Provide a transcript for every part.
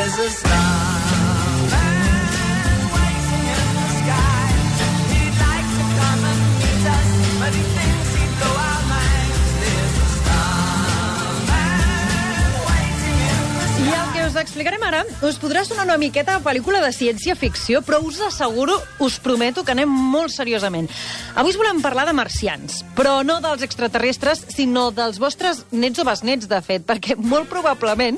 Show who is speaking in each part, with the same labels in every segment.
Speaker 1: There's a starman waiting in the sky. He'd like to come and meet us, but he thinks he'd blow our minds. There's a starman waiting in the sky.
Speaker 2: I el que us explicarem ara us podrà sonar una miqueta a pel·lícula de ciència-ficció, però us asseguro, us prometo que anem molt seriosament. Avui us volem parlar de marcians, però no dels extraterrestres, sinó dels vostres nets o besnets, de fet, perquè molt probablement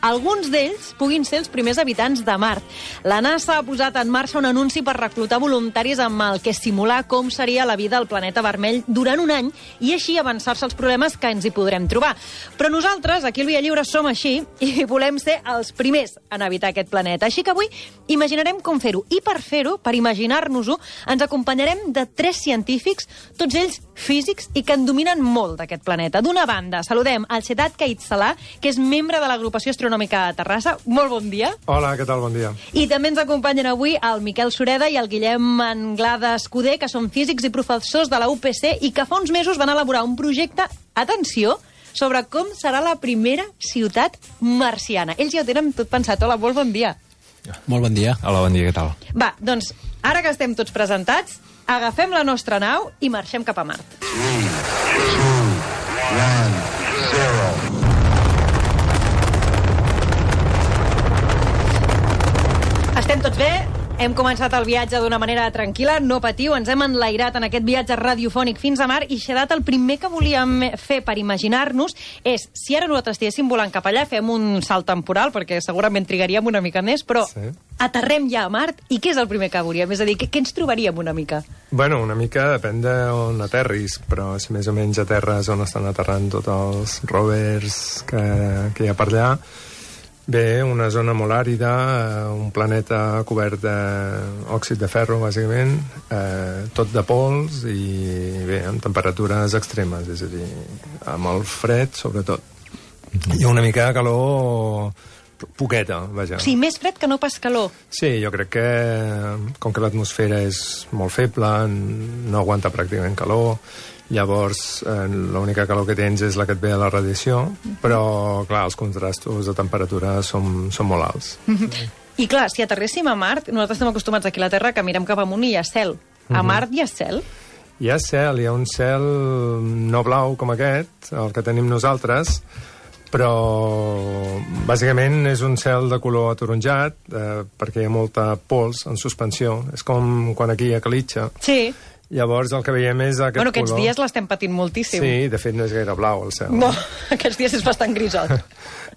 Speaker 2: alguns d'ells puguin ser els primers habitants de Mart. La NASA ha posat en marxa un anunci per reclutar voluntaris amb el que simular com seria la vida al planeta vermell durant un any i així avançar-se als problemes que ens hi podrem trobar. Però nosaltres, aquí al Via Lliure, som així i volem ser els primers en habitar aquest planeta. Així que avui imaginarem com fer-ho. I per fer-ho, per imaginar-nos-ho, ens acompanyarem de 3 científics, tots ells físics i que en dominen molt d'aquest planeta. D'una banda, saludem al Sedat Caït-Salà, que és membre de l'agrupació astronòmica de Terrassa. Molt bon dia.
Speaker 3: Hola, què tal? Bon dia.
Speaker 2: I també ens acompanyen avui el Miquel Sureda i el Guillem Anglada Escuder, que són físics i professors de la UPC i que fa uns mesos van elaborar un projecte, atenció, sobre com serà la primera ciutat marciana. Ells ja ho tenen tot pensat. Hola, molt bon dia.
Speaker 4: Molt bon dia. Hola, bon dia, què tal?
Speaker 2: Va, doncs, ara que estem tots presentats, agafem la nostra nau i marxem cap a Mart.
Speaker 5: 3, 2, 1, 0.
Speaker 2: Estem tots bé? Hem començat el viatge d'una manera tranquil·la, no patiu, ens hem enlairat en aquest viatge radiofònic fins a Mart i, Xedat, el primer que volíem fer per imaginar-nos és, si ara nosaltres estiguéssim volant cap allà, fem un salt temporal, perquè segurament trigaríem una mica més, però sí, aterrem ja a Mart, i què és el primer que veuríem? És a dir, què ens trobaríem una mica?
Speaker 3: Bueno, una mica depèn d'on aterris, però si més o menys aterres on estan aterrant tots els rovers que hi ha per allà, bé, una zona molt àrida, un planeta cobert d'òxid de ferro, bàsicament, tot de pols i, bé, amb temperatures extremes, és a dir, amb el fred, sobretot. I una mica de calor poqueta, vaja.
Speaker 2: O sigui, més fred que no pas calor.
Speaker 3: Sí, jo crec que, com que l'atmosfera és molt feble, no aguanta pràcticament calor, llavors l'única calor que tens és la que et ve a la radiació, però clar, els contrastos de temperatura són molt alts.
Speaker 2: I clar, si aterréssim a Mart, nosaltres estem acostumats aquí a la Terra que mirem cap amunt i hi ha cel. A Mart hi ha cel?
Speaker 3: Hi ha cel, hi ha un cel no blau com aquest, el que tenim nosaltres, però bàsicament és un cel de color ataronjat perquè hi ha molta pols en suspensió. És com quan aquí hi ha calitxa.
Speaker 2: Sí.
Speaker 3: Llavors el que veiem és aquest color...
Speaker 2: Aquests dies l'estem patint moltíssim.
Speaker 3: Sí, de fet no és gaire blau el cel.
Speaker 2: No, aquests dies és bastant grisot.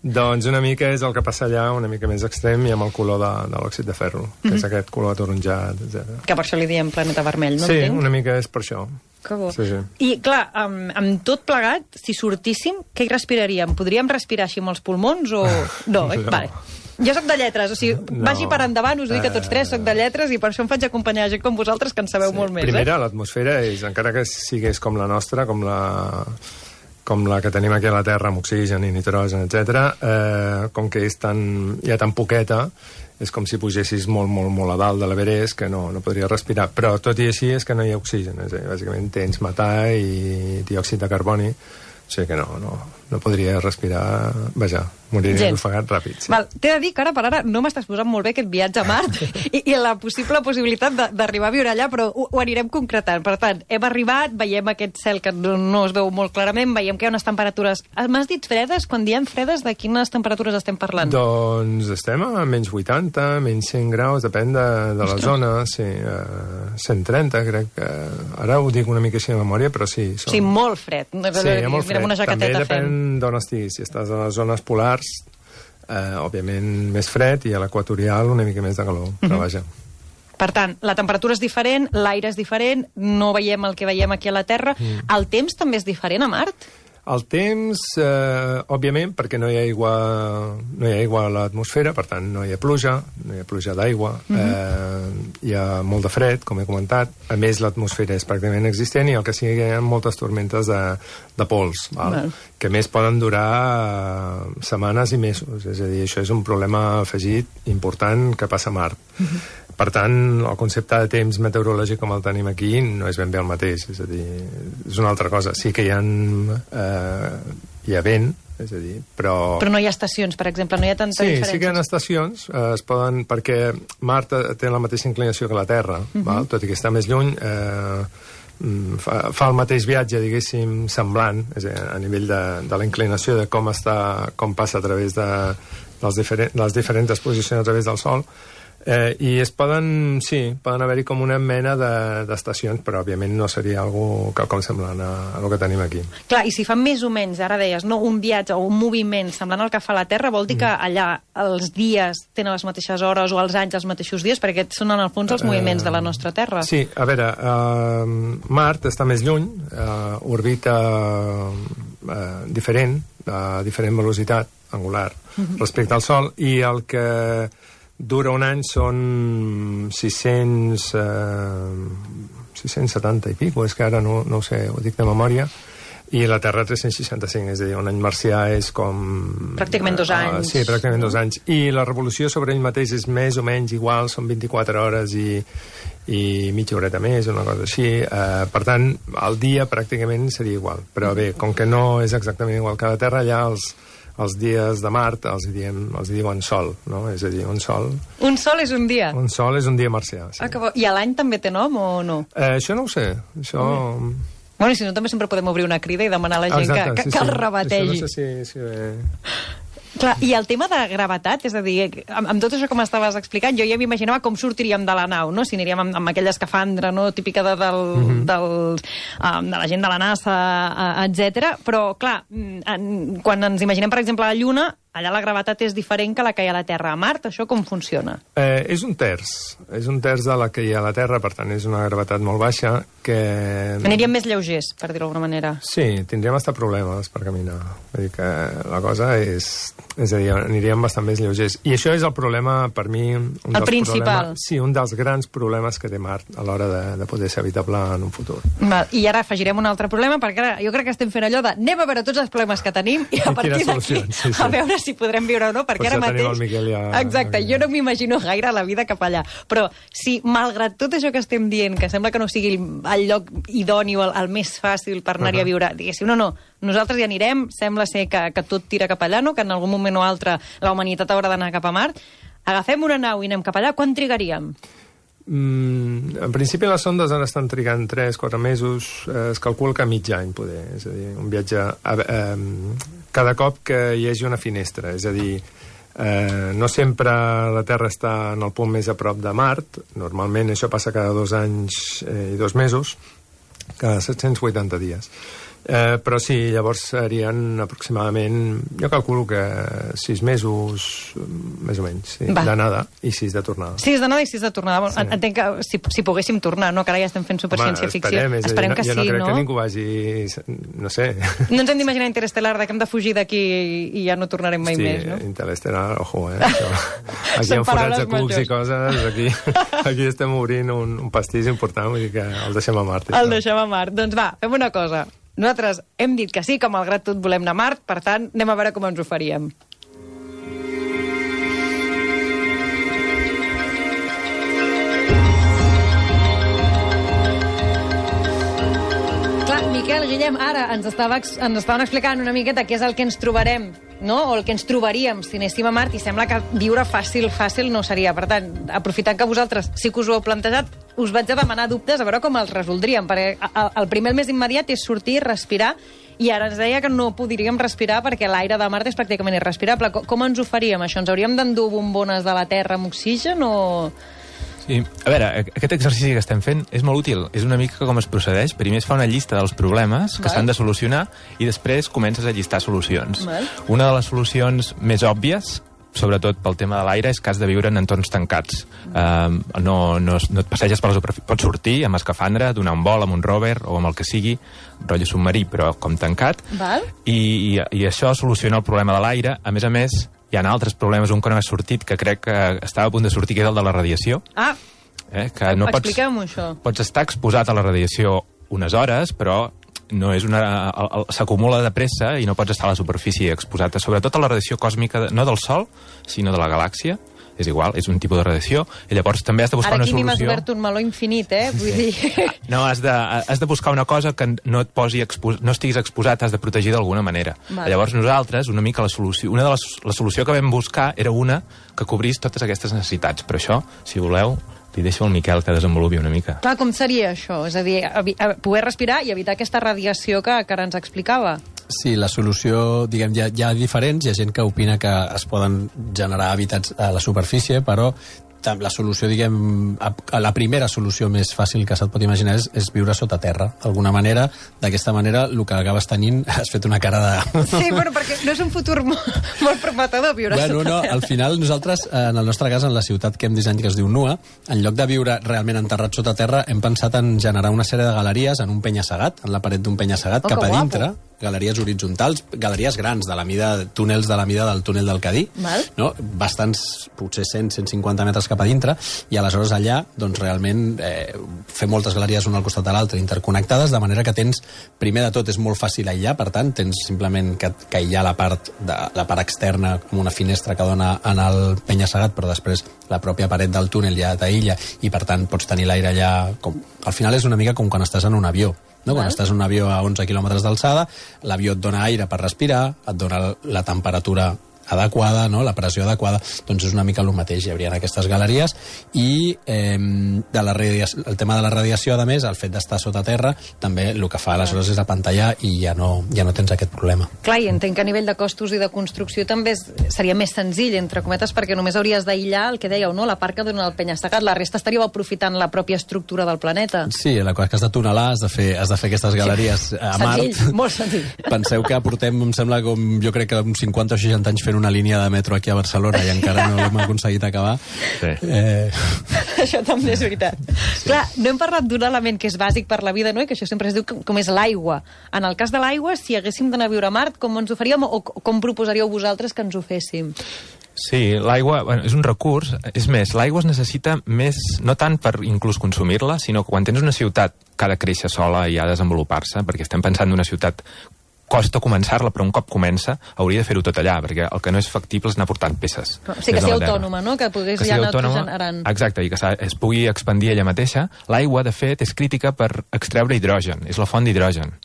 Speaker 3: Doncs una mica és el que passa allà, una mica més extrem, i amb el color de l'òxid de ferro, que és aquest color ataronjat, etc.
Speaker 2: Que per això li diem planeta vermell, no
Speaker 3: sí,
Speaker 2: entenc?
Speaker 3: Una mica és per això.
Speaker 2: Que bo.
Speaker 3: Sí.
Speaker 2: I clar, amb tot plegat, si sortíssim, què hi respiraríem? Podríem respirar així amb els pulmons o... No, no. Vale. Jo soc de lletres, o sigui, vagi per endavant, us dic que tots 3 soc de lletres i per això em faig acompanyar gent com vosaltres que en sabeu molt més.
Speaker 3: Primera, l'atmosfera és, encara que sigués com la nostra, com la que tenim aquí a la Terra, amb oxigen i nitrogen, etc., com que hi ha tan poqueta, és com si pugessis molt, molt, molt a dalt de l'Everest, que no podria respirar. Però tot i així és que no hi ha oxigen, és a dir, bàsicament tens metà i diòxid de carboni, o sigui que no podria respirar, vaja, moriria ofegat ràpid. Sí.
Speaker 2: Val, t'he de dir que ara per ara no m'estàs posant molt bé aquest viatge a Mart i la possible possibilitat d'arribar a viure allà, però ho anirem concretant. Per tant, hem arribat, veiem aquest cel que no es veu molt clarament, veiem que hi ha unes temperatures... M'has dit fredes? Quan diem fredes, de quines temperatures estem parlant?
Speaker 3: Doncs estem a menys 80, menys 100 graus, depèn de la zona, sí, 130, crec que... Ara ho dic una mica així de memòria, però sí.
Speaker 2: Sí, molt fred.
Speaker 3: Sí, molt fred.
Speaker 2: Una jaqueteta
Speaker 3: també depèn d'on estiguis. Si estàs a les zones polars, òbviament més fred, i a l'equatorial una mica més de calor, però vaja.
Speaker 2: Per tant, la temperatura és diferent, l'aire és diferent, no veiem el que veiem aquí a la Terra. El temps també és diferent a Mart?
Speaker 3: El temps, òbviament, perquè no hi ha aigua a l'atmosfera, per tant no hi ha pluja d'aigua, hi ha molt de fred, com he comentat, a més l'atmosfera és pràcticament existent i el que sí que hi ha moltes tormentes de pols, que més poden durar setmanes i mesos, és a dir, això és un problema afegit important que passa a Mart. Per tant, el concepte de temps meteorològic com el tenim aquí no és ben bé el mateix, és a dir, és una altra cosa. Sí que hi ha vent, és a dir, però...
Speaker 2: Però no hi ha estacions, per exemple, no hi ha tanta diferència.
Speaker 3: Sí que hi ha estacions, es poden... Perquè Mart té la mateixa inclinació que la Terra, val? Tot i que està més lluny, fa el mateix viatge, diguéssim, semblant, és a dir, a nivell de la inclinació de com passa a través de les diferents posicions a través del Sol, i poden haver-hi com una mena d'estacions, però òbviament no seria quelcom semblant a el que tenim aquí.
Speaker 2: Clar, i si fa més o menys, ara deies, no, un viatge o un moviment semblant al que fa la Terra, vol dir que allà els dies tenen les mateixes hores o els anys els mateixos dies, perquè aquests són en el fons els moviments de la nostra Terra.
Speaker 3: Sí, a veure, Mart està més lluny, orbita diferent, a diferent velocitat angular respecte al Sol, i el que dura un any són 670 i pico, és que ara no ho sé, ho dic de memòria, i la Terra 365, és a dir, un any marcià és com...
Speaker 2: Pràcticament 2 anys.
Speaker 3: Sí, pràcticament 2 anys. I la revolució sobre ell mateix és més o menys igual, són 24 hores i mitja horeta més, una cosa així. Per tant, el dia pràcticament seria igual. Però bé, com que no és exactament igual que la Terra, allà els dies de Mart els diuen sol, no? És a dir, un sol...
Speaker 2: Un sol és un dia?
Speaker 3: Un sol és un dia marcià, sí.
Speaker 2: I a l'any també té nom o no?
Speaker 3: Això no ho sé, això...
Speaker 2: Bueno, i si no, també sempre podem obrir una crida i demanar a la gent que el rebategi.
Speaker 3: Això no sé si...
Speaker 2: Clar, i el tema de gravetat, és a dir, amb tot això que m'estaves explicant, jo ja m'imaginava com sortiríem de la nau, no? Si aniríem amb aquella escafandra, no?, típica de la gent de la NASA, etc. Però, clar, quan ens imaginem, per exemple, la Lluna, allà la gravetat és diferent que la que hi ha a la Terra. A Mart, això com funciona?
Speaker 3: És un terç de la que hi ha a la Terra, per tant, és una gravetat molt baixa que...
Speaker 2: Aniríem més lleugers, per dir-ho d'alguna manera.
Speaker 3: Sí, tindríem hasta problemes per caminar. Vull dir que la cosa és a dir, aniríem bastant més lleugers. I això és el problema, per mi...
Speaker 2: El principal.
Speaker 3: Sí, un dels grans problemes que té Mart a l'hora de poder ser habitable en un futur.
Speaker 2: I ara afegirem un altre problema, perquè ara jo crec que estem fent allò de anem a veure tots els problemes que tenim i a partir d'aquí a veure si podrem viure o no, perquè ara mateix... Exacte, jo no m'imagino gaire la vida cap allà. Però si, malgrat tot això que estem dient, que sembla que no sigui el lloc idoni o el més fàcil per anar-hi a viure, diguéssim, no, nosaltres hi anirem, sembla ser que tot tira cap allà, no? Que en algun moment o altre la humanitat haurà d'anar cap a Mart. Agafem una nau i anem cap allà, quan trigaríem?
Speaker 3: En principi les sondes ara estan trigant 3-4 mesos, es calcula que mig any, poder. És a dir, un viatge... cada cop que hi hagi una finestra, és a dir, no sempre la Terra està en el punt més a prop de Mart, normalment això passa cada 2 anys i 2 mesos, cada 780 dies. Però sí, llavors serien aproximadament, jo calculo que 6 mesos, més o menys, sí, d'anada i 6 de tornada.
Speaker 2: 6 d'anada i 6 de tornada. Sí. Entenc que si poguéssim tornar, no? Que ara ja estem fent superciència-ficció. Esperem que sí, no?
Speaker 3: Jo no crec que ningú vagi, no sé...
Speaker 2: No ens hem d'imaginar Interestelar, que hem de fugir d'aquí i ja no tornarem mai més, no?
Speaker 3: Interestelar, ojo, aquí amb forats de cucs i coses, aquí estem obrint un pastís important, vull dir que el deixem a Mart.
Speaker 2: El deixem a Mart. Doncs va, fem una cosa. Nosaltres hem dit que sí, que malgrat tot volem anar a Mart, per tant, anem a veure com ens ho faríem. Clar, Miquel, Guillem, ara ens estaven explicant una miqueta què és el que ens trobarem, no? O el que ens trobaríem si anéssim a Mart, i sembla que viure fàcil no seria. Per tant, aprofitant que vosaltres sí que us ho heu plantejat, us vaig a demanar dubtes a veure com els resoldríem, perquè el primer, el més immediat, és sortir, respirar, i ara ens deia que no podríem respirar perquè l'aire de Mart és pràcticament irrespirable. Com ens ho faríem, això? Ens hauríem d'endur bombones de la Terra amb oxigen o...?
Speaker 4: Sí. A veure, aquest exercici que estem fent és molt útil. És una mica com es procedeix. Primer es fa una llista dels problemes que s'han de solucionar i després comences a llistar solucions. Una de les solucions més òbvies, sobretot pel tema de l'aire, és que has de viure en entorns tancats. No et passeges per la superfície. Pots sortir amb escafandra, donar un vol amb un rover o amb el que sigui, rotllo submarí, però com tancat. I això soluciona el problema de l'aire. A més, hi ha altres problemes, un que no ha sortit, que crec que estava a punt de sortir, que és el de la radiació. Que no
Speaker 2: expliqueu-m'ho, això.
Speaker 4: Pots estar exposat a la radiació unes hores, però no és s'acumula de pressa i no pots estar a la superfície exposat, sobretot a la radiació còsmica, no del Sol, sinó de la galàxia. és igual, és un tipus de radiació, i llavors també has de buscar
Speaker 2: Ara
Speaker 4: una
Speaker 2: aquí m'has
Speaker 4: solució...
Speaker 2: obert un meló infinit, Vull dir...
Speaker 4: No, has de buscar una cosa que no et posi no estiguis exposat, has de protegir d'alguna manera.
Speaker 2: Vale.
Speaker 4: Llavors nosaltres, una mica la solució que vam buscar era una que cobrís totes aquestes necessitats. Per això, si voleu, li deixo al Miquel que desenvolupi una mica.
Speaker 2: Clar, com seria això? És a dir, poder respirar i evitar aquesta radiació que ara ens explicava.
Speaker 6: Sí, la solució, diguem, hi ha diferents, hi ha gent que opina que es poden generar hàbitats a la superfície, però la solució, diguem, la primera solució més fàcil que se't pot imaginar és viure sota terra. D'alguna manera, d'aquesta manera, el que acabes tenint, has fet una cara de...
Speaker 2: Sí, bueno, perquè no és un futur molt prometedor viure sota terra.
Speaker 6: Al final nosaltres, en el nostre cas, en la ciutat que hem dissenyat, que es diu Nua, en lloc de viure realment enterrat sota terra, hem pensat en generar una sèrie de galeries en un penya-segat, en la paret d'un penya-segat, cap a dintre, galeries horitzontals, galeries grans, túnels de la mida del túnel del Cadí, no? Bastants, potser 100-150 metres cap a dintre, i aleshores allà, doncs realment, fer moltes galeries una al costat de l'altra, interconnectades, de manera que tens, primer de tot, és molt fàcil aïllar, per tant, tens simplement que aïllar la part externa, com una finestra que dona en el penya-segat, però després la pròpia paret del túnel ja t'aïlla, i per tant pots tenir l'aire allà... Al final és una mica com quan estàs en un avió. No? Quan estàs en un avió a 11 quilòmetres d'alçada, l'avió et dona aire per respirar, et dona la temperatura adequada, no? La pressió adequada, doncs és una mica el mateix. Hi haurien aquestes galeries i el tema de la radiació, a més, el fet d'estar sota terra, també el que fa aleshores és apantallar i ja no tens aquest problema.
Speaker 2: Clar, i entenc que a nivell de costos i de construcció també seria més senzill, entre cometes, perquè només hauries d'aïllar el que dèieu, no? La part que dona el penya-segat, la resta estaríeu aprofitant la pròpia estructura del planeta.
Speaker 6: Sí, la cosa que has de tunelar, has de fer aquestes galeries a Mart.
Speaker 2: Senzill, molt senzill.
Speaker 6: Penseu que portem, em sembla, jo crec que uns 50 o 60 anys fent una línia de metro aquí a Barcelona i encara no l'hem aconseguit acabar.
Speaker 4: Sí.
Speaker 2: Això també és veritat. Sí. Clar, no hem parlat d'un element que és bàsic per la vida, no? I que això sempre es diu com és l'aigua. En el cas de l'aigua, si haguéssim d'anar a viure a Mart, com ens ho faríem o com proposaríeu vosaltres que ens ho féssim?
Speaker 4: Sí, l'aigua és un recurs. És més, l'aigua es necessita més, no tant per inclús consumir-la, sinó que quan tens una ciutat que ha de créixer sola i ha de desenvolupar-se, perquè estem pensant en una ciutat costa començar-la, però un cop comença hauria de fer-ho tot allà, perquè el que no és factible és anar portant peces.
Speaker 2: Sí, que sigui autònoma, no? Que pogués ja anar generant...
Speaker 4: Exacte, i que es pugui expandir ella mateixa. L'aigua, de fet, és crítica per extreure hidrogen, és la font d'hidrogen.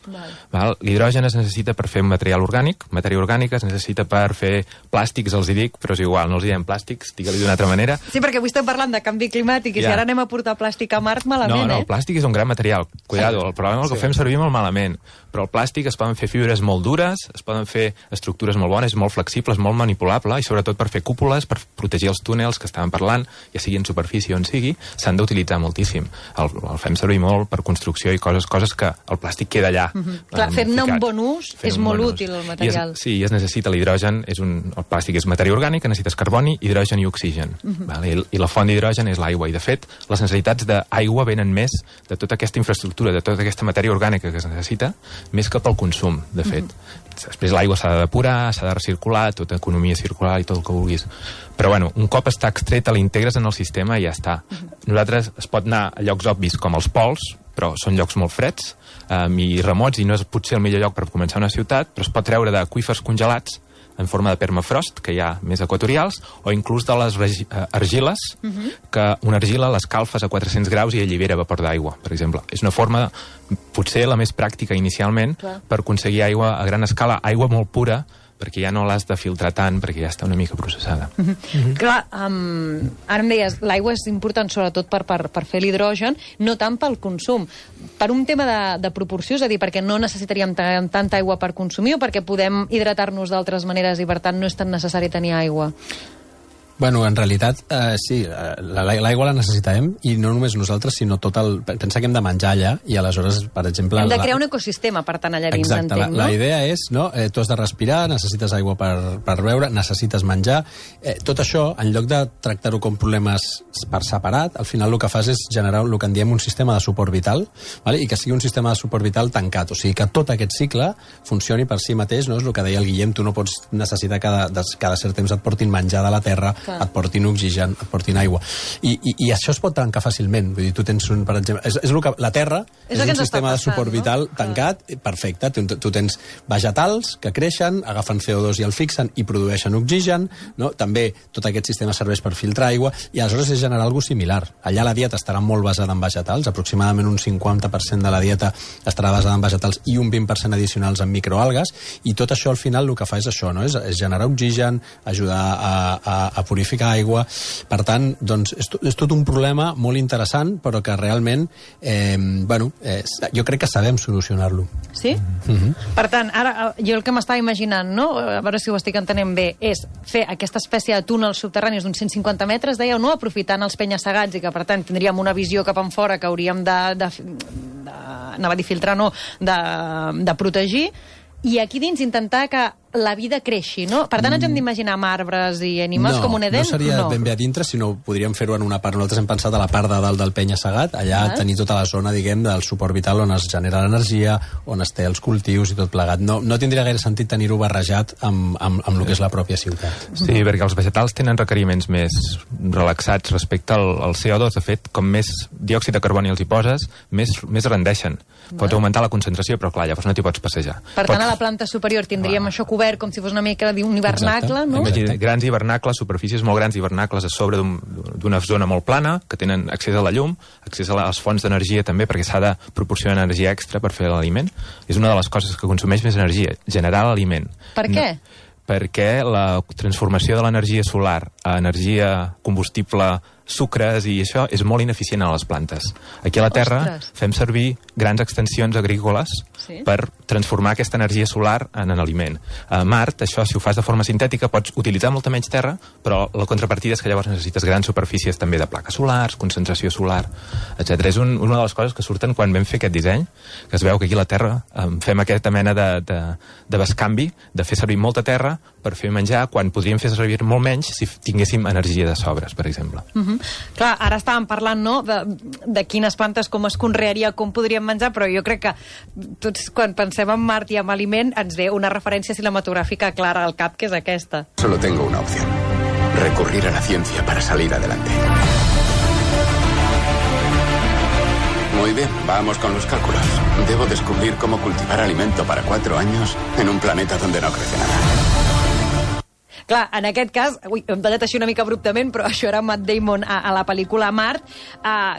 Speaker 4: L'hidrogen es necessita per fer un material orgànic, matèria orgànica es necessita per fer plàstics, els hi dic, però és igual, no els diem plàstics, digue-li d'una altra manera.
Speaker 2: Sí, perquè avui estem parlant de canvi climàtic i si ara anem a portar plàstic a Mart, malament,
Speaker 4: No, el plàstic és un gran material. Cuidado, el problema és el que fem servir molt malament. Però el plàstic es poden fer fibres molt dures, es poden fer estructures molt bones, molt flexibles, molt manipulable, i sobretot per fer cúpules, per protegir els túnels que estàvem parlant, ja sigui en superfície o on sigui, s'han d'utilitzar moltíssim. El fem servir molt per construcció i coses que el plàstic queda allà.
Speaker 2: Clar, fer-ne un bon ús és molt útil, el material.
Speaker 4: Sí, es necessita l'hidrogen, el plàstic és matèria orgànica, necessites carboni, hidrogen i oxigen. I la font d'hidrogen és l'aigua, i de fet, les necessitats d'aigua venen més de tota aquesta infraestructura, de tota aquesta matèria orgànica que es necessita, més que pel consum, de fet. Després l'aigua s'ha de depurar, s'ha de recircular, tota economia circular i tot el que vulguis. Però, bueno, un cop està extreta, l'integres en el sistema i ja està. Nosaltres es pot anar a llocs obvis com els pols, però són llocs molt freds i remots, i no és potser el millor lloc per començar una ciutat, però es pot treure d'aqüífers congelats en forma de permafrost, que hi ha més equatorials, o inclús de les argiles, que una argila l'escalfes a 400 graus i allibera vapor d'aigua, per exemple. És una forma, potser la més pràctica inicialment, per aconseguir aigua a gran escala, aigua molt pura, perquè ja no l'has de filtrar tant, perquè ja està una mica processada.
Speaker 2: Clar, ara em deies, l'aigua és important sobretot per fer l'hidrogen, no tant pel consum. Per un tema de proporció, és a dir, perquè no necessitaríem tanta aigua per consumir o perquè podem hidratar-nos d'altres maneres i per tant no és tan necessari tenir aigua?
Speaker 6: Bueno, en realitat, sí, l'aigua la necessitem, i no només nosaltres, sinó tot el... Pensa que hem de menjar allà, i aleshores, per exemple...
Speaker 2: Hem de crear un ecosistema, per tant, allà dins,
Speaker 6: entenc, no? La idea és, no?, tu has de respirar, necessites aigua per beure, necessites menjar... Tot això, en lloc de tractar-ho com problemes per separat, al final el que fas és generar el que en diem un sistema de suport vital, vale? I que sigui un sistema de suport vital tancat, o sigui que tot aquest cicle funcioni per si mateix, no? És el que deia el Guillem, tu no pots necessitar cada cert temps et portin menjar de la terra, et portin oxigen, et portin aigua. I això es pot tancar fàcilment. Vull dir, tu tens un, per exemple... És el que, la Terra és un sistema de suport vital tancat, perfecte. Tu tens vegetals que creixen, agafen CO2 i el fixen i produeixen oxigen, no? També tot aquest sistema serveix per filtrar aigua i aleshores és generar alguna cosa similar. Allà la dieta estarà molt basada en vegetals, aproximadament un 50% de la dieta estarà basada en vegetals i un 20% addicionals en microalgues, i tot això al final el que fa és això, no? És generar oxigen, ajudar a purificar aigua. Per tant, doncs, és tot un problema molt interessant, però que realment jo crec que sabem solucionar-lo.
Speaker 2: Sí? Per tant, ara jo el que m'estava imaginant, no? A veure si ho estic entenent bé, és fer aquesta espècie de túnels subterranis d'uns 150 metres, dèieu, no? Aprofitant els penya-segats i que, per tant, tindríem una visió cap enfora que hauríem anava a dir filtrar, no, de protegir, i aquí dins intentar que la vida creixi, no? Per tant, ens hem d'imaginar amb arbres i animals com un Eden?
Speaker 6: No seria ben bé a dintre, sinó podríem fer-ho en una part. Nosaltres hem pensat a la part de dalt del penya-segat, allà tenir tota la zona, diguem, del suport vital on es genera l'energia, on es té els cultius i tot plegat. No tindria gaire sentit tenir-ho barrejat amb el que és la pròpia ciutat.
Speaker 4: Sí, perquè els vegetals tenen requeriments més relaxats respecte al CO2. De fet, com més diòxid de carboni els hi poses, més rendeixen. Pots augmentar la concentració, però clar, llavors no t'hi pots passejar.
Speaker 2: Per tant, a la planta superior tindríem això cobert com si fos una mica d'un hivernacle, no?
Speaker 4: Imagina, grans hivernacles, superfícies molt grans d'hivernacles a sobre d'una zona molt plana, que tenen accés a la llum, accés a les fonts d'energia també, perquè s'ha de proporcionar energia extra per fer l'aliment. És una de les coses que consumeix més energia, generar l'aliment.
Speaker 2: Per què?
Speaker 4: Perquè la transformació de l'energia solar a energia combustible, sucres i això és molt ineficient a les plantes. Aquí a la Terra fem servir grans extensions agrícoles per transformar aquesta energia solar en aliment. A Mart, això, si ho fas de forma sintètica, pots utilitzar molta menys terra, però la contrapartida és que llavors necessites grans superfícies també de plaques solars, concentració solar, etc. És una de les coses que surten quan vam fer aquest disseny, que es veu que aquí a la Terra fem aquesta mena de bescanvi, de fer servir molta terra per fer menjar, quan podríem fer servir molt menys si tinguéssim energia de sobres, per exemple.
Speaker 2: Clar, ara estàvem parlant, no?, de quines plantes, com es conrearia, com podríem menjar, però jo crec que tots, quan pensem en Mart i en aliment, ens ve una referència cinematogràfica clara al cap, que és aquesta.
Speaker 5: Solo tengo una opción. Recurrir a la ciencia para salir adelante. Muy bien, vamos con los cálculos. Debo descubrir cómo cultivar alimento para 4 años en un planeta donde no crece nada.
Speaker 2: Clar, en aquest cas, hem tallat així una mica abruptament, però això era Matt Damon a la pel·lícula Mart.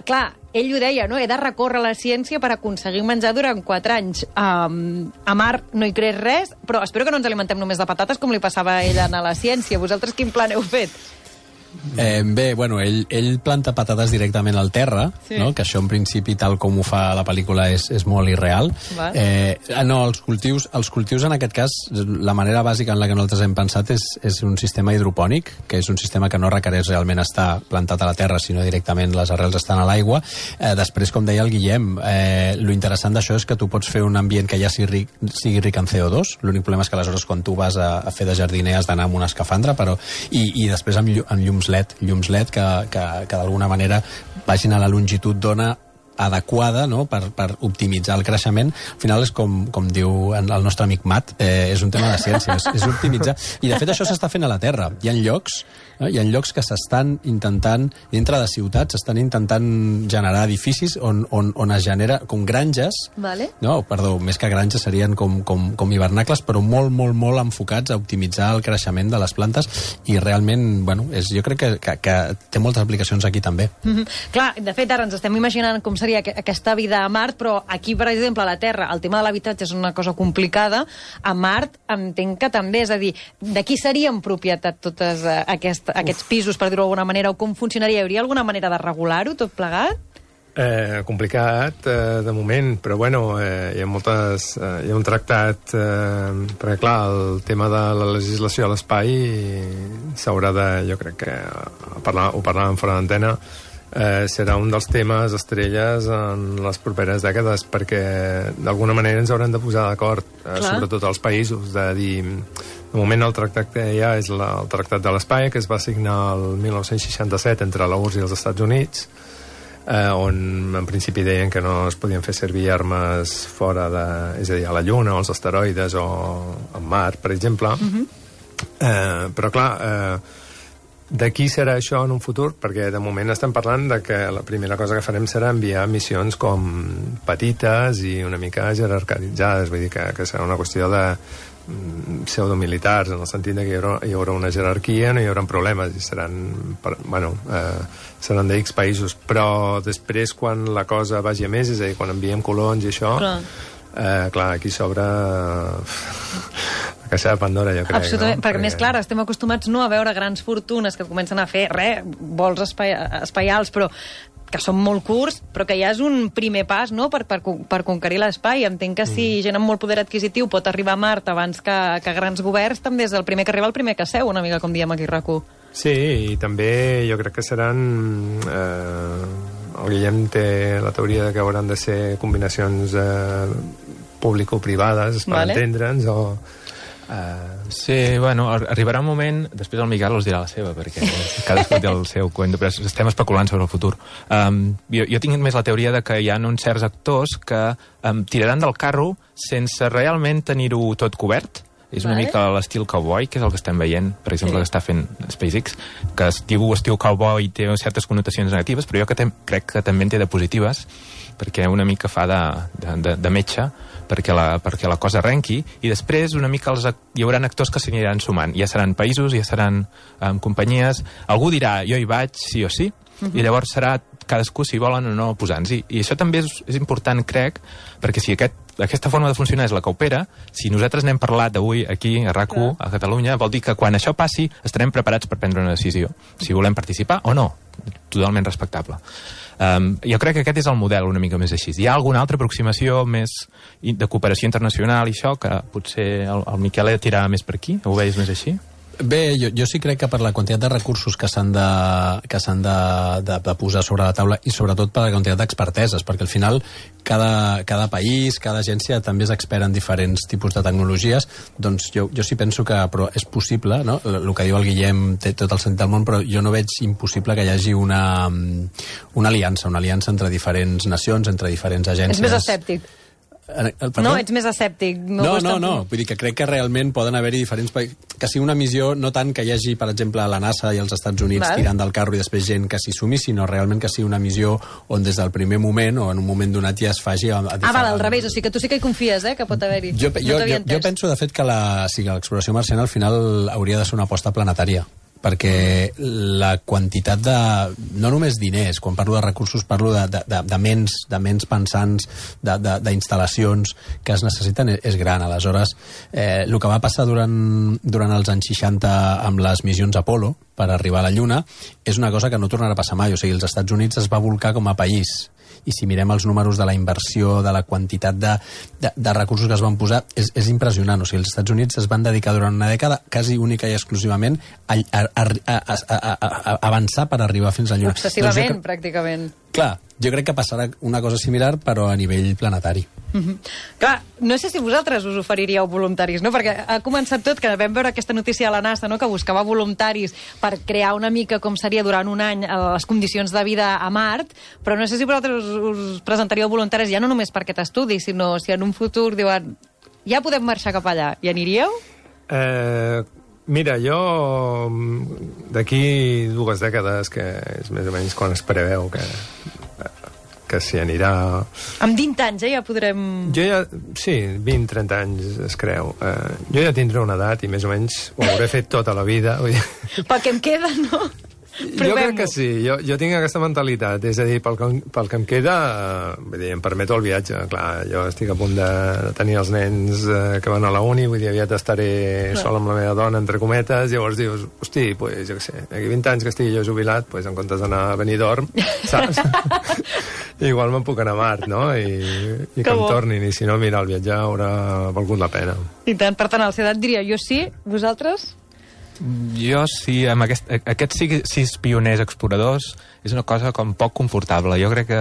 Speaker 2: Clar, ell ho deia, no? He de recórrer a la ciència per aconseguir menjar durant 4 anys. A Mart no hi creix res, però espero que no ens alimentem només de patates com li passava a ell a la ciència. Vosaltres quin plan heu fet?
Speaker 6: Bé, bueno, ell planta patates directament al terra, no? Que això en principi, tal com ho fa la pel·lícula, és molt irreal. No, els cultius en aquest cas, la manera bàsica en la que nosaltres hem pensat és un sistema hidropònic, que és un sistema que no requereix realment estar plantat a la terra, sinó directament les arrels estan a l'aigua. Després, com deia el Guillem, lo interessant d'això és que tu pots fer un ambient que ja sigui ric en CO2. L'únic problema és que aleshores quan tu vas a fer de jardiner has d'anar amb una escafandra, i després amb llums LED que d'alguna manera vagin a la longitud d'ona adequada, no?, per optimitzar el creixement. Al final és com diu el nostre amic Matt, és un tema de ciència, és optimitzar. I de fet això s'està fent a la Terra. Hi ha llocs que s'estan intentant, dintre de ciutats, s'estan intentant generar edificis on es genera com granges, no, perdó, més que granges serien com hivernacles, però molt enfocats a optimitzar el creixement de les plantes, i realment, bueno, jo crec que té moltes aplicacions aquí també.
Speaker 2: Clar, de fet, ara ens estem imaginant com seria aquesta vida a Mart, però aquí, per exemple, a la Terra, el tema de l'habitatge és una cosa complicada. A Mart entenc que també, és a dir, de qui serien propietat tots aquests pisos, per dir-ho d'alguna manera, o com funcionaria? Hi hauria alguna manera de regular-ho, tot plegat?
Speaker 3: Complicat, de moment, però bueno, hi ha un tractat, perquè clar, el tema de la legislació a l'espai s'haurà de, jo crec que ho parlàvem fora d'antena, serà un dels temes estrelles en les properes dècades, perquè d'alguna manera ens haurem de posar d'acord, sobretot als països, de dir, de moment el tractat que hi ha és el Tractat de l'Espai, que es va signar el 1967 entre la URSS i els Estats Units, on en principi deien que no es podien fer servir armes fora de, és a dir, a la Lluna o als asteroides o en Mart, per exemple. Però clar, De qui serà això en un futur? Perquè de moment estem parlant de que la primera cosa que farem serà enviar missions com petites i una mica jerarquitzades, vull dir que serà una qüestió de pseudomilitars, en el sentit que hi haurà una jerarquia, no hi haurà problemes i seran de X països, però després quan la cosa vagi a més, és a dir, quan enviem colons i això, clar, aquí s'obre la caixa de Pandora, jo crec.
Speaker 2: Absolutament, perquè més clar, estem acostumats no a veure grans fortunes que comencen a fer vols espaials, però que són molt curts, però que ja és un primer pas, no?, per conquerir l'espai. Entenc que si gent amb molt poder adquisitiu pot arribar a Mart abans que grans governs, també és el primer que arriba el primer que seu, una mica com diem aquí a RAC1.
Speaker 3: Sí, i també jo crec que seran... el Guillem té la teoria de que hauran de ser combinacions público-privades, per entendre'ns, o...
Speaker 4: Sí, bueno, arribarà un moment, després el Miquel us dirà la seva, perquè cadascú té el seu cuento, però estem especulant sobre el futur. Jo tinc més la teoria de que hi ha uns certs actors que tiraran del carro sense realment tenir-ho tot cobert. És una mica l'estil cowboy, que és el que estem veient, per exemple, que està fent SpaceX, que es diu estil cowboy i té certes connotacions negatives, però jo crec que també en té de positives, perquè una mica fa de metge, perquè la cosa arrenqui, i després una mica hi haurà actors que s'aniran sumant. Ja seran països, ja seran companyies. Algú dirà, jo hi vaig sí o sí, i llavors serà cadascú si volen o no posant-s'hi. I això també és important, crec, perquè si aquesta forma de funcionar és la que opera, si nosaltres n'hem parlat avui aquí a RAC1, a Catalunya, vol dir que quan això passi estarem preparats per prendre una decisió, si volem participar o no, totalment respectable. Jo crec que aquest és el model una mica més així. Hi ha alguna altra aproximació més de cooperació internacional i això, que potser el Miquel tirarà més per aquí? Ho veus més així?
Speaker 6: Bé, jo sí crec que per la quantitat de recursos que s'han de posar sobre la taula i sobretot per la quantitat d'experteses, perquè al final cada país, cada agència també és expert en diferents tipus de tecnologies, doncs jo sí penso que però és possible, no? El que diu el Guillem té tot el sentit del món, però jo no veig impossible que hi hagi una aliança entre diferents nacions, entre diferents agències.
Speaker 2: És més escèptic. No, ets més escèptic.
Speaker 6: No. Vull dir que crec que realment poden haver-hi diferents països. Que sigui una missió, no tant que hi hagi, per exemple, la NASA i els Estats Units tirant del carro i després gent que s'hi sumi, sinó realment que sigui una missió on des del primer moment o en un moment donat ja es faci...
Speaker 2: al revés, o sigui que tu sí que hi confies, que pot haver-hi.
Speaker 6: Jo penso, de fet, que l'exploració marciana al final hauria de ser una aposta planetària, perquè la quantitat de... no només diners, quan parlo de recursos parlo de ments pensants, d'instal·lacions que es necessiten és gran. Aleshores, el que va passar durant els anys 60 amb les missions Apollo per arribar a la Lluna és una cosa que no tornarà a passar mai. O sigui, els Estats Units es va volcar com a país, i si mirem els números de la inversió, de la quantitat de recursos que es van posar, és impressionant. O sigui, els Estats Units es van dedicar durant una dècada, quasi única i exclusivament, a avançar per arribar fins a la Lluna.
Speaker 2: Obsessivament, pràcticament.
Speaker 6: Clar, jo crec que passarà una cosa similar, però a nivell planetari.
Speaker 2: Clar, no sé si vosaltres us oferiríeu voluntaris, no? Perquè ha començat tot, que vam veure aquesta notícia a la NASA, no?, que buscava voluntaris per crear una mica com seria durant un any les condicions de vida a Mart, però no sé si vosaltres us presentaríeu voluntaris ja no només per aquest estudi, sinó si en un futur diuen ja podem marxar cap allà. Hi aniríeu?
Speaker 3: Mira, jo d'aquí 2 dècades, que és més o menys quan es preveu que s'hi anirà...
Speaker 2: Amb 20 anys, ja podrem...
Speaker 3: Sí, 20-30 anys es creu. Jo ja tindré una edat i més o menys ho hauré fet tota la vida.
Speaker 2: Pel que em queda, no?
Speaker 3: Jo crec que sí, jo tinc aquesta mentalitat, és a dir, pel que em queda, vull dir, em permeto el viatge, clar, jo estic a punt de tenir els nens que van a la uni, vull dir, aviat estaré sol amb la meva dona, entre cometes, llavors dius, hosti, pues, jo què sé, aquí 20 anys que estigui jo jubilat, pues, en comptes d'anar a Benidorm, saps? Igual me'n puc anar a Mart, no? I que em tornin, i si no, mira, el viatge haurà valgut la pena.
Speaker 2: I tant, per tant, a la seva edat diria, jo sí, vosaltres?
Speaker 4: Jo sí, amb aquests 6 pioners exploradors és una cosa com poc confortable. Jo crec que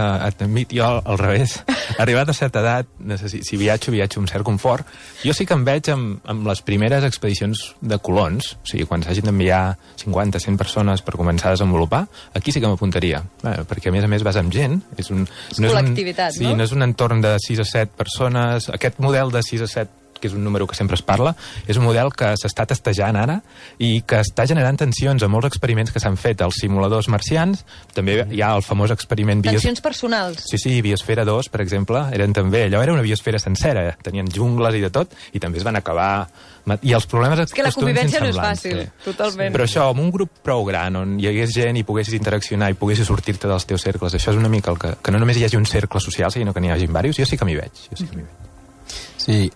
Speaker 4: jo al revés, arribat a certa edat, si viatjo amb cert confort. Jo sí que em veig amb les primeres expedicions de colons, o sigui, quan s'hagin d'enviar 50-100 persones per començar a desenvolupar, aquí sí que m'apuntaria, perquè a més vas amb gent. És
Speaker 2: col·lectivitat,
Speaker 4: no? Sí, no és un entorn de 6 o 7 persones. Aquest model de 6 o 7 que és un número que sempre es parla, és un model que s'està testejant ara i que està generant tensions a molts experiments que s'han fet als simuladors marcians. També hi ha el famós experiment...
Speaker 2: Tensions personals.
Speaker 4: Sí, Biosfera 2, per exemple, allò era una biosfera sencera, tenien jungles i de tot, i també es van acabar... I els problemes...
Speaker 2: És que la convivència no és fàcil, totalment.
Speaker 4: Però això, amb un grup prou gran, on hi hagués gent i poguessis interaccionar i poguessis sortir-te dels teus cercles, això és una mica el que no només hi hagi un cercle social, sinó que n'hi hagi diversos. Jo sí que m'hi veig.
Speaker 6: Sí,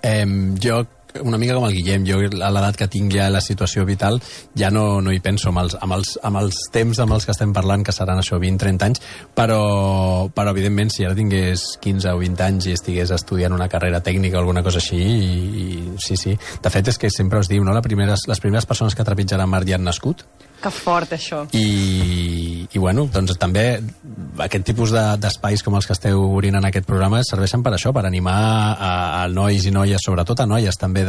Speaker 6: jo una mica com el Guillem, jo a l'edat que tinc ja la situació vital ja no hi penso amb els temps amb els que estem parlant, que seran això 20-30 anys, però evidentment si ara tingués 15 o 20 anys i estigués estudiant una carrera tècnica o alguna cosa així, sí. De fet és que sempre us diu, no? Les primeres persones que trepitjaran mar ja han nascut.
Speaker 2: Que fort, això.
Speaker 6: I bueno, doncs també aquest tipus d'espais com els que esteu obrint en aquest programa serveixen per això, per animar a nois i noies, sobretot a noies també,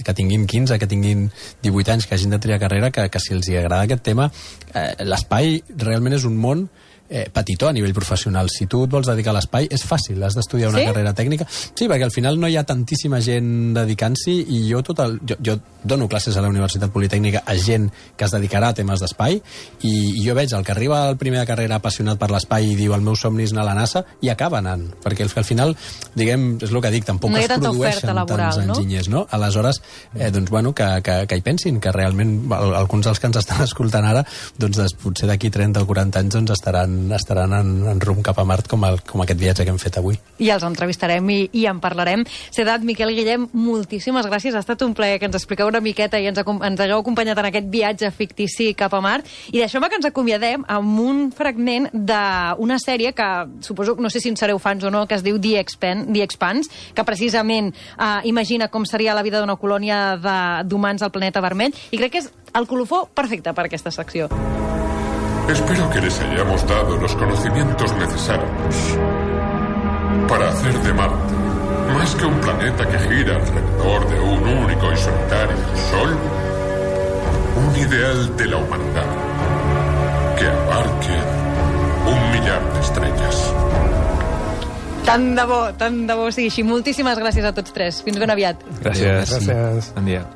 Speaker 6: que tinguin 15, que tinguin 18 anys, que hagin de triar carrera, que si els agrada aquest tema, l'espai realment és un món petitó a nivell professional. Si tu et vols dedicar a l'espai, és fàcil, has d'estudiar una carrera tècnica. Sí, perquè al final no hi ha tantíssima gent dedicant-s'hi, i jo dono classes a la Universitat Politècnica a gent que es dedicarà a temes d'espai, i jo veig el que arriba al primer de carrera apassionat per l'espai i diu el meu somni és anar a la NASA, i acaba anant, perquè al final, diguem, és el que dic, tampoc es produeixen tants enginyers, no? Aleshores, doncs bueno, que hi pensin, que realment alguns dels que ens estan escoltant ara, doncs potser d'aquí 30 o 40 anys doncs estaran en rumb cap a Mart, com aquest viatge que hem fet avui.
Speaker 2: I els entrevistarem i en parlarem. Sedat, Miquel, Guillem, moltíssimes gràcies. Ha estat un plaer que ens expliqueu una miqueta i ens hagueu acompanyat en aquest viatge fictici cap a Mart. I deixeu-me que ens acomiadem amb un fragment d'una sèrie que suposo, no sé si en sereu fans o no, que es diu The Expanse, que precisament imagina com seria la vida d'una colònia d'humans al planeta vermell, i crec que és el colofó perfecte per aquesta secció.
Speaker 7: Espero que les hayamos dado los conocimientos necesarios para hacer de Marte, más que un planeta que gira alrededor de un único y solitario sol, un ideal de la humanidad que abarque 1 millar de estrellas.
Speaker 2: Tant de bo sigui així. Moltíssimes gràcies a tots tres. Fins ben aviat.
Speaker 4: Gràcies.
Speaker 3: Gràcies.
Speaker 4: Bon dia.